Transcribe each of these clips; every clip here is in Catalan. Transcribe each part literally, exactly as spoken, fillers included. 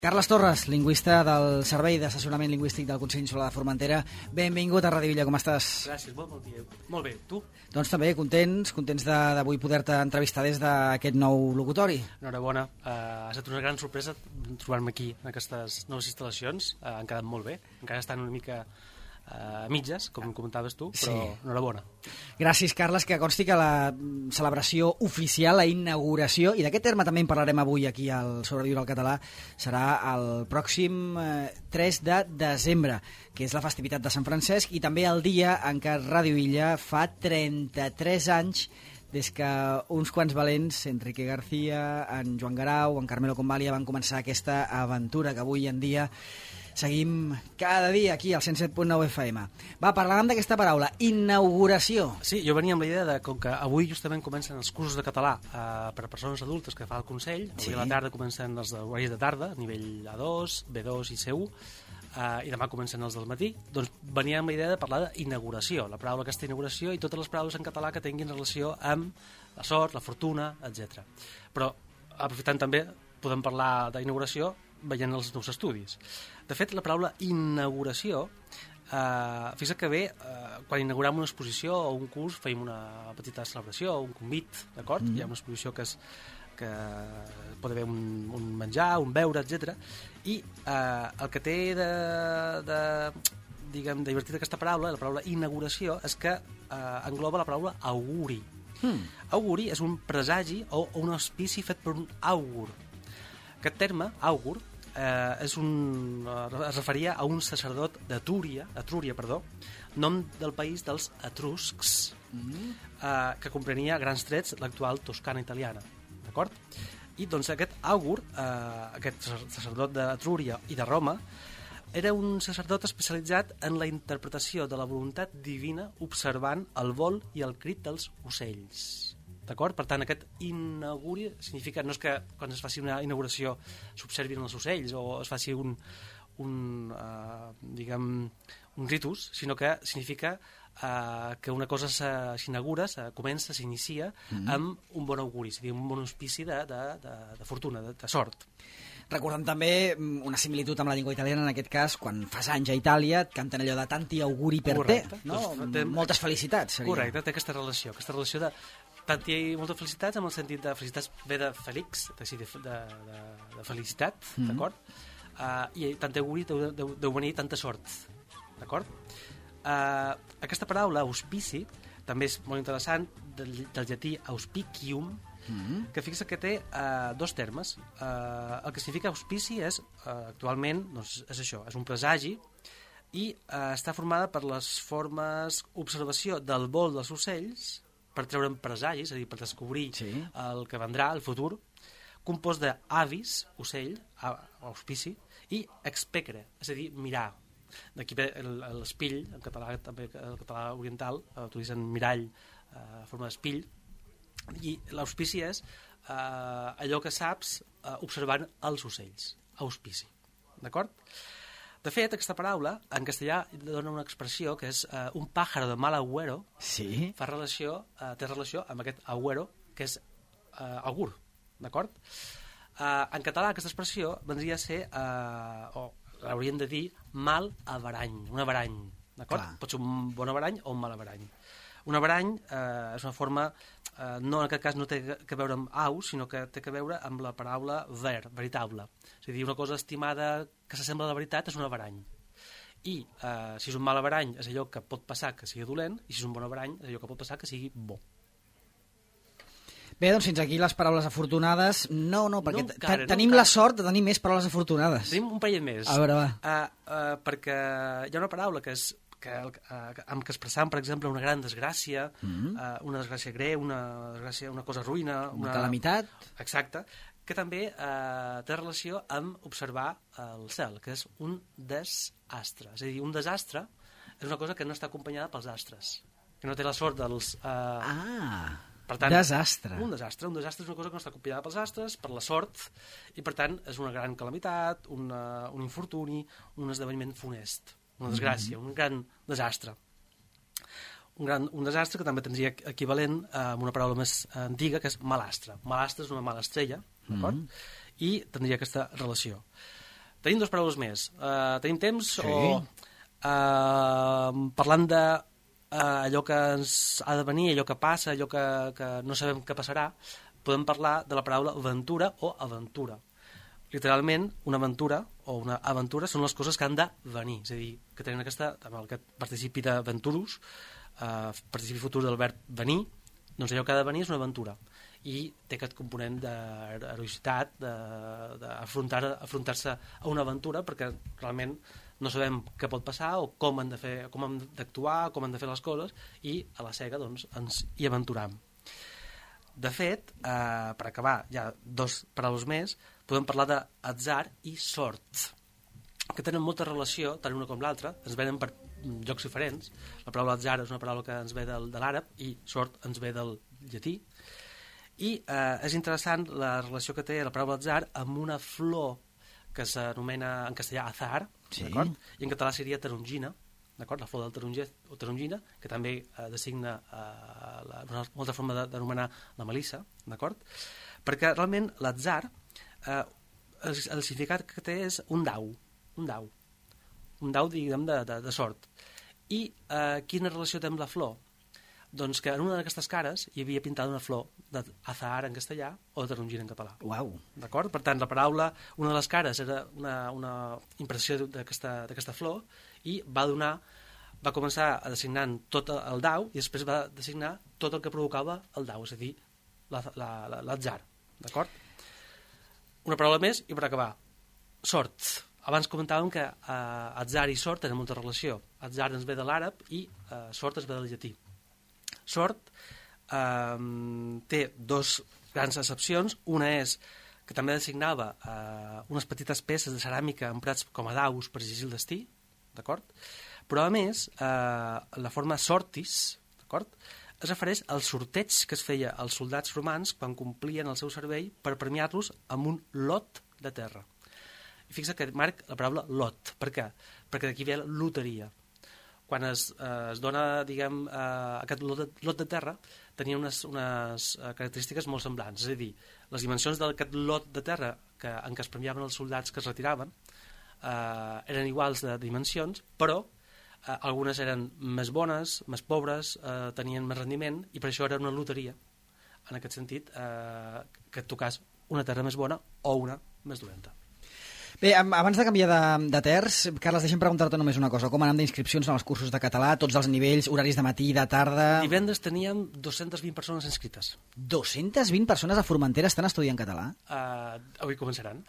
Carles Torres, lingüista del Servei d'Assessorament Lingüístic del Consell Insular de Formentera. Benvingut a Ràdio Villa, com estàs? Gràcies, molt bon dia. Molt bé, tu? Doncs també, contents, contents d'avui poder-te entrevistar des d'aquest nou locutori. Enhorabona, uh, ha estat una gran sorpresa trobar-me aquí en aquestes noves instal·lacions, uh, han quedat molt bé, encara estan una mica a uh, mitges, com comentaves tu, però sí. Enhorabona. Gràcies, Carles, que consti que la celebració oficial, la inauguració, i d'aquest terme també en parlarem avui aquí al Sobreviure al Català, serà el pròxim eh, tres de desembre, que és la festivitat de Sant Francesc, i també el dia en què Ràdio Illa fa trenta-tres anys des que uns quants valents, Enrique García, en Joan Garau, en Carmelo Convalia, van començar aquesta aventura que avui en dia seguim cada dia aquí al cent set punt nou F M. Va, parlàvem d'aquesta paraula, inauguració. Sí, jo venia amb la idea de com que avui justament comencen els cursos de català eh, per a persones adultes que fa el Consell, avui sí. A la tarda comencen els d'horaris de tarda, nivell A dos, B dos i C u, eh, i demà comencen els del matí. Doncs venia amb la idea de parlar d'inauguració, la paraula aquesta inauguració i totes les paraules en català que tinguin relació amb la sort, la fortuna, etcètera. Però, aprofitant també, podem parlar d'inauguració veient els nous estudis. De fet, la paraula inauguració, eh, fixa't que bé, eh, quan inaugurem una exposició o un curs feim una petita celebració, un convit, d'acord? Mm. Hi ha una exposició que, és, que pot haver un, un menjar, un beure, etcètera. I eh, el que té de, de, diguem, divertit aquesta paraula, la paraula inauguració, és que eh, engloba la paraula auguri. Mm. Auguri és un presagi o, o un auspici fet per un àugur. Aquest terme, àugur, eh, és un, es referia a un sacerdot d'Etrúria, Etrúria, perdó, nom del país dels etruscs, mm. eh, que comprenia grans trets l'actual Toscana italiana, d'acord? I doncs aquest àugur, eh, aquest sacerdot d'Etrúria i de Roma, era un sacerdot especialitzat en la interpretació de la voluntat divina observant el vol i el crit dels ocells. D'acord? Per tant, aquest inauguri significa, no és que quan es faci una inauguració s'observin els ocells o es faci un, un, uh, diguem, un ritus, sinó que significa uh, que una cosa s'inaugura, se comença, s'inicia mm-hmm. amb un bon auguri, és a dir, un bon auspici de, de, de, de fortuna, de, de sort. Recordem també una similitud amb la llengua italiana, en aquest cas, quan fas anys a Itàlia, et canten allò de tanti auguri per Correcte. te, no? Doncs, té... Moltes felicitats. Seria. Correcte, té aquesta relació, aquesta relació de tant hi ha moltes felicitats, amb el sentit de felicitats ve de felix, de, de, de, de felicitat, mm-hmm. d'acord? Uh, I tant auguri deu, deu, deu venir tanta sort, d'acord? Uh, aquesta paraula, auspici, també és molt interessant, del, del llatí auspicium, mm-hmm. que fixa que té uh, dos termes. Uh, el que significa auspici és, uh, actualment, doncs, és això, és un presagi, i uh, està formada per les formes observació del vol dels ocells, per treure'n presagis, és a dir, per descobrir sí. el que vendrà, el futur, compost d'avis, ocell, auspici, i expecre, és a dir, mirar. D'aquí ve l'espill, en català, també el català oriental, utilitzen mirall, eh, forma d'espill, i l'auspici és eh, allò que saps eh, observant els ocells, auspici, d'acord? De fet, aquesta paraula, en castellà, dona una expressió que és uh, un pájaro de mal agüero, sí. fa relació, uh, té relació amb aquest agüero, que és uh, augur, d'acord? Uh, en català, aquesta expressió vendria a ser, uh, o l'hauríem de dir, mal averany, un averany, d'acord? Pot ser un bon averany o un mal averany. Un averany eh, és una forma, eh, no en aquest cas no té que veure amb au, sinó que té que veure amb la paraula ver, veritable. És a dir, una cosa estimada que s'assembla a la veritat és un averany. I eh, si és un mal averany és allò que pot passar que sigui dolent, i si és un bon averany és allò que pot passar que sigui bo. Bé, doncs fins aquí les paraules afortunades. No, no, perquè no encara, tenim no la sort de tenir més paraules afortunades. Tenim un parell més. A veure, va. Uh, uh, perquè hi ha una paraula que és que, uh, amb què expressam, per exemple, una gran desgràcia, mm-hmm. uh, una desgràcia greu, una, desgràcia, una cosa ruïna... Una, una calamitat. Exacte, que també uh, té relació amb observar el cel, que és un desastre. És a dir, un desastre és una cosa que no està acompanyada pels astres, que no té la sort dels... Uh, ah, per tant, desastre. Un desastre. Un desastre és una cosa que no està acompanyada pels astres, per la sort, i per tant és una gran calamitat, una, un infortuni, un esdeveniment funest. Una desgràcia, mm-hmm. un gran desastre. Un, gran, un desastre que també tindria equivalent a una paraula més antiga, que és malastre. Malastre és una mala estrella, d'acord? Mm-hmm. I tindria aquesta relació. Tenim dues paraules més. Uh, tenim temps Sí. o... Uh, parlant de uh, allò que ens ha de venir, allò que passa, allò que, que no sabem què passarà, podem parlar de la paraula aventura o aventura. Literalment, una aventura o una aventura són les coses que han de venir, és a dir, que tenen aquesta, amb el que participi d'aventurus, uh, participi futur del verb venir, doncs allò que ha de venir és una aventura i té aquest component d'heroïcitat, d'afrontar-se afrontar a una aventura, perquè realment no sabem què pot passar o com han de fer, com hem d'actuar, com han de fer les coses, i a la cega doncs, ens hi aventuram. De fet, eh, per acabar, ja dos paraules més, podem parlar d'atzar i sort, que tenen molta relació, tant una com l'altra, ens venen per llocs diferents. La paraula atzar és una paraula que ens ve del, de l'àrab i sort ens ve del llatí. I eh, és interessant la relació que té la paraula atzar amb una flor que s'anomena en castellà azar, sí. D'acord? I en català seria tarongina, d'acord? La flor del taronger o tarongina, que també eh, designa eh, la, una altra forma d'anomenar la melissa, d'acord? Perquè realment l'atzar, eh, el, el significat que té és un dau, un dau, un dau, diguem, de, de, de sort. I eh, quina relació té amb la flor? Doncs que en una d'aquestes cares hi havia pintada una flor d'azahar en castellà o de tarongina en català. Uau. D'acord? Per tant, la paraula, una de les cares era una, una impressió d'aquesta flor i va donar, va començar a designar tot el dau i després va designar tot el que provocava el dau, és a dir, l'atzar. D'acord? Una paraula més i per acabar. Sort. Abans comentàvem que eh, atzar i sort tenen molta relació. Atzar ens ve de l'àrab i eh, sort ens ve del llatí. Sort eh, té dos grans accepcions. Una és que també designava eh, unes petites peces de ceràmica emprats com a daus per llegir el destí, d'acord? Però a més, eh, la forma sortis, d'acord, es refereix al sorteig que es feia als soldats romans quan complien el seu servei per premiar-los amb un lot de terra. I fixa que marc la paraula lot. Per què? Perquè d'aquí ve la loteria. Quan es, eh, es dona, diguem, eh, aquest lot de, lot de terra, tenia unes, unes característiques molt semblants. És a dir, les dimensions d'aquest lot de terra que, en què es premiaven els soldats que es retiraven eh, eren iguals de dimensions, però eh, algunes eren més bones, més pobres, eh, tenien més rendiment, i per això era una loteria. En aquest sentit, eh, que et tocàs una terra més bona o una més dolenta. Bé, abans de canviar de, de terç, Carles, deixa'm preguntar-te només una cosa. Com anem d'inscripcions en els cursos de català, tots els nivells, horaris de matí, de tarda... Divendres teníem dues-centes vint persones inscrites. dues-centes vint persones a Formentera estan estudiant català? Uh, avui començaran.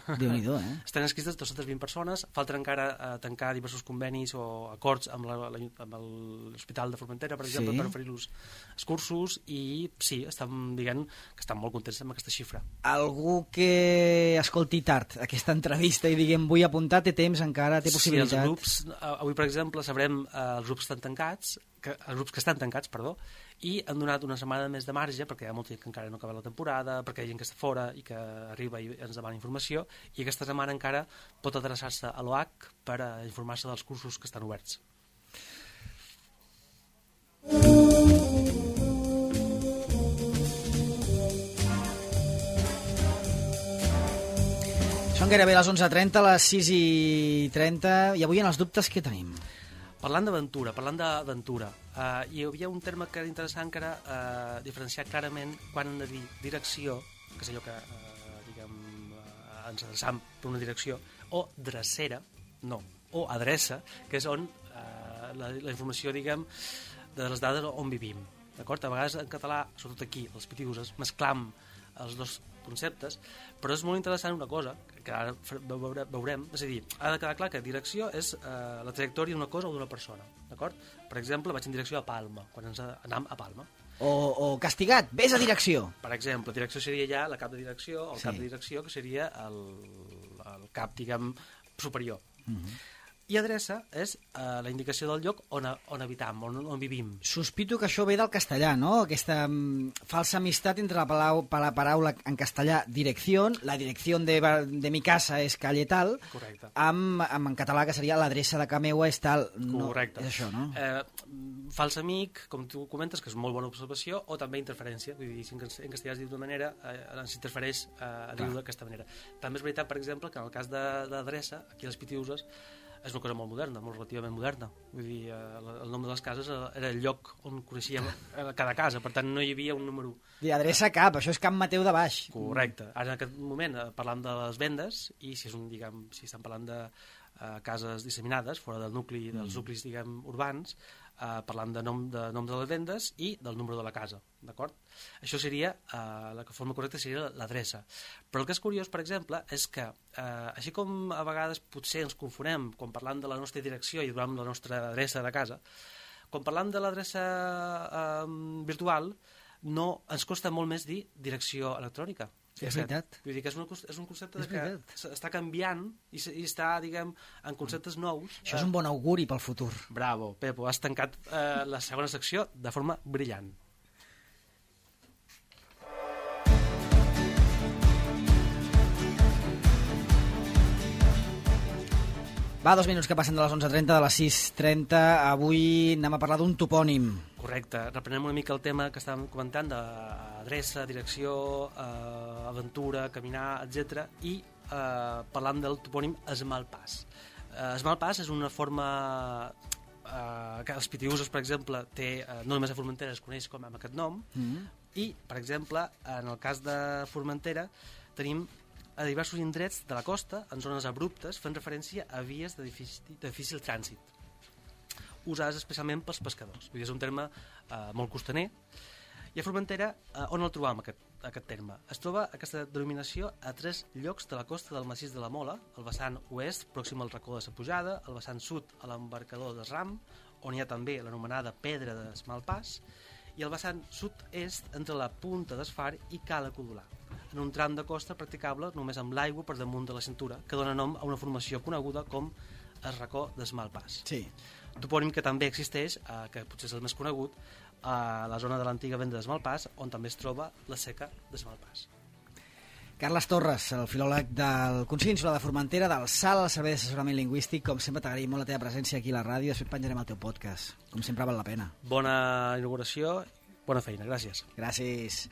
Déu-n'hi-do, eh? Estan inscrites dues-centes vint persones, falten encara uh, tancar diversos convenis o acords amb l'Hospital de Formentera, per exemple, sí. Per oferir-los els cursos, i sí, estan dient que estan molt contents amb aquesta xifra. Algú que escolti tard aquesta entrevista i diguem vull apuntar, té temps encara, té possibilitat? Sí, els grups, avui per exemple sabrem eh, els grups que estan tancats, que, els grups que estan tancats, perdó, i han donat una setmana més de marge, perquè hi ha molta gent que encara no acaba la temporada, perquè hi ha gent que està fora i que arriba i ens demana informació, i aquesta setmana encara pot adreçar-se a l'O H per a informar-se dels cursos que estan oberts. Són gairebé les onze trenta, les sis i trenta, i avui en els dubtes què tenim? Parlant d'aventura, parlant d'aventura, eh, hi havia un terme que era interessant, que era eh, diferenciar clarament quan hem de dir direcció, que és allò que eh, diguem, eh, ens adreçam per una direcció, o drecera, no, o adreça, que és on eh, la, la informació, diguem, de les dades on vivim. D'acord? A vegades en català, sobretot aquí, els pitius, es mesclam els dos conceptes, però és molt interessant una cosa, que ara veurem, és a dir, ha de quedar clar que direcció és eh, la trajectòria d'una cosa o d'una persona, d'acord? Per exemple, vaig en direcció a Palma, quan ens anam a Palma. O, o castigat, vés a direcció. Per exemple, direcció seria ja la cap de direcció, el sí. cap de direcció, que seria el, el cap, diguem, superior. Uh-huh. I adreça és uh, la indicació del lloc on, on habitam, on, on vivim. Sospito que això ve del castellà, no? Aquesta um, falsa amistat entre la, palau, la paraula en castellà direcció, la direcció de, de mi casa és calle tal, correcte, amb, amb en català que seria l'adreça de ca meua és tal. No, correcte. És això, no? Eh, fals amic, com tu comentes, que és molt bona observació, o també interferència, vull dir, si en castellà es diu d'una manera, eh, s'interfereix eh, a dir-ho d'aquesta manera. També és veritat, per exemple, que en el cas d'adreça, aquí a les Pitiüses, és una cosa molt moderna, molt relativament moderna. Vull dir, eh, el nom de les cases era el lloc on coneixíem cada casa, per tant no hi havia un número... I adreça cap, això és Can Mateu de baix. Correcte. Ara en aquest moment eh, parlant de les vendes, i si és un, diguem, si estan parlant de eh, cases disseminades, fora del nucli, dels nuclis, diguem, urbans, eh, parlant de nom, de nom de les vendes i del número de la casa, d'acord? Això seria, eh, la forma correcta seria l'adreça. Però el que és curiós, per exemple, és que, eh, així com a vegades potser ens confonem quan parlant de la nostra direcció i durant la nostra adreça de casa, quan parlant de l'adreça eh, virtual, no, ens costa molt més dir direcció electrònica. És veritat. Vull dir que és un, és un concepte és que està canviant i, i està, diguem, en conceptes nous. Això és un bon auguri pel futur. Bravo, Pepo, has tancat eh, la segona secció de forma brillant. Va, dos minuts que passen de les onze trenta, de les sis trenta. Avui anem a parlar d'un topònim. Correcte. Reprenem una mica el tema que estàvem comentant d'adreça, direcció, eh, aventura, caminar, etcètera. I eh, parlant del topònim Esmalpàs. Eh, Esmalpàs és una forma eh, que els Pitiüsos, per exemple, té, eh, no només a Formentera es coneix com amb aquest nom, mm-hmm. i, per exemple, en el cas de Formentera, tenim a diversos indrets de la costa, en zones abruptes, fent referència a vies de difícil, de difícil trànsit, usades especialment pels pescadors. Vull dir, és un terme eh, molt costaner. I a Formentera, eh, on el trobam, aquest, aquest terme? Es troba aquesta denominació a tres llocs de la costa del massís de la Mola, el vessant oest, pròxim al racó de la Pujada, el vessant sud, a l'embarcador de Ram, on hi ha també l'anomenada Pedra d'Esmalpàs, i el vessant sud-est entre la Punta d'Esfar i Cala Codolar, en un tram de costa practicable només amb l'aigua per damunt de la cintura, que dona nom a una formació coneguda com el racó d'Esmalpàs. Sí. Topònim que també existeix, eh, que potser és el més conegut, a la zona de l'antiga venda d'Esmalpàs, on també es troba la seca d'Esmalpàs. Carles Torres, el filòleg del Consell Insular de Formentera, del S A L, el Servei d'Assessorament Lingüístic. Com sempre, t'agraïm molt la teva presència aquí a la ràdio. Després penjarem el teu podcast. Com sempre, val la pena. Bona inauguració, bona feina. Gràcies. Gràcies.